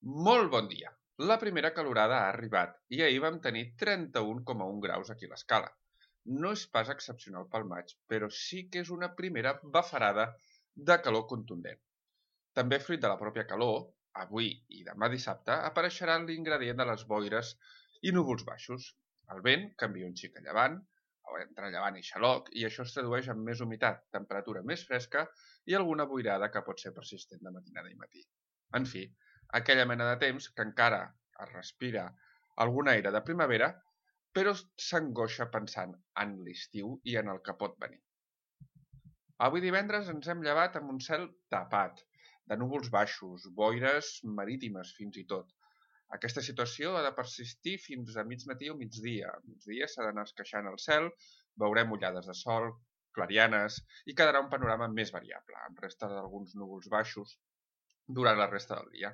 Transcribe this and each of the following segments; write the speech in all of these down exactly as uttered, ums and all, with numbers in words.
Molt bon dia! La primera calorada ha arribat i ahir vam tenir trenta-un coma un graus aquí a l'Escala. No és pas excepcional pel maig, però sí que és una primera bafarada de calor contundent. També fruit de la pròpia calor, avui i demà dissabte apareixerà l'ingredient de les boires i núvols baixos. El vent canvia un xic a llevant, o entre llevant i xaloc, i això es tradueix en més humitat, temperatura més fresca i alguna boirada que pot ser persistent de matinada i matí. En fi, aquella mena de temps que encara es respira algun aire de primavera, però s'angoixa pensant en l'estiu i en el que pot venir. Avui divendres ens hem llevat amb un cel tapat, de núvols baixos, boires marítimes fins i tot. Aquesta situació ha de persistir fins a mig matí o migdia. A migdia s'ha d'anar esqueixant el cel, veurem ullades de sol, clarianes, i quedarà un panorama més variable, amb resta d'alguns núvols baixos durant la resta del dia.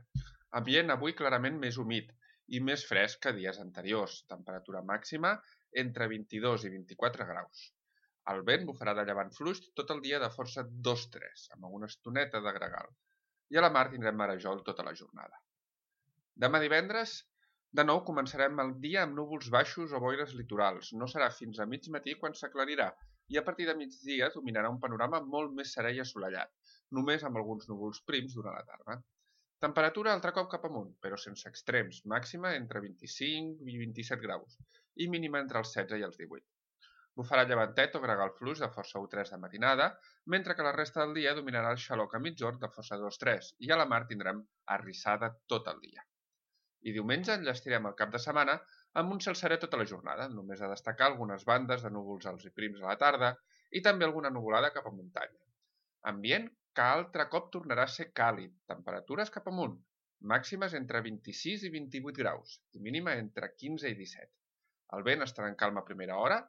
Ambient avui clarament més humit i més fresc que dies anteriors, temperatura màxima entre vint-i-dos i vint-i-quatre graus. El vent bufarà de llevant fluix tot el dia de força dos tres, amb alguna estoneta de gregal, i a la mar tindrem marejol tota la jornada. Demà divendres, de nou començarem el dia amb núvols baixos o boires litorals. No serà fins a mig matí quan s'aclarirà, i a partir de migdia dominarà un panorama molt més serè i assolellat, només amb alguns núvols prims durant la tarda. Temperatura altre cop cap amunt, però sense extrems, màxima entre vint-i-cinc i vint-i-set graus, i mínima entre els setze i els divuit. Bufarà llevantet o gregal fluix de força u tres de matinada, mentre que la resta del dia dominarà el xaloc a migjorn de força dos tres, i a la mar tindrem arrissada tot el dia. I diumenge enllestirem el cap de setmana amb un cel serè tota la jornada, només a destacar algunes bandes de núvols alts i prims a la tarda i també alguna nuvolada cap a muntanya. Ambient que altre cop tornarà a ser càlid, temperatures cap amunt, màximes entre vint-i-sis i vint-i-vuit graus i mínima entre quinze i disset. El vent estarà en calma a primera hora,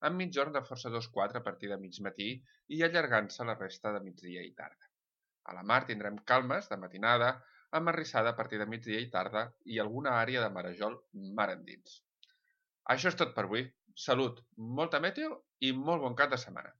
amb migjorn de força dos quatre a partir de mig matí i allargant-se la resta de migdia i tarda. A la mar tindrem calmes de matinada, amb arrissada a partir de migdia i tarda i alguna àrea de marejol mar endins. Això és tot per avui. Salut, molta meteo i molt bon cap de setmana.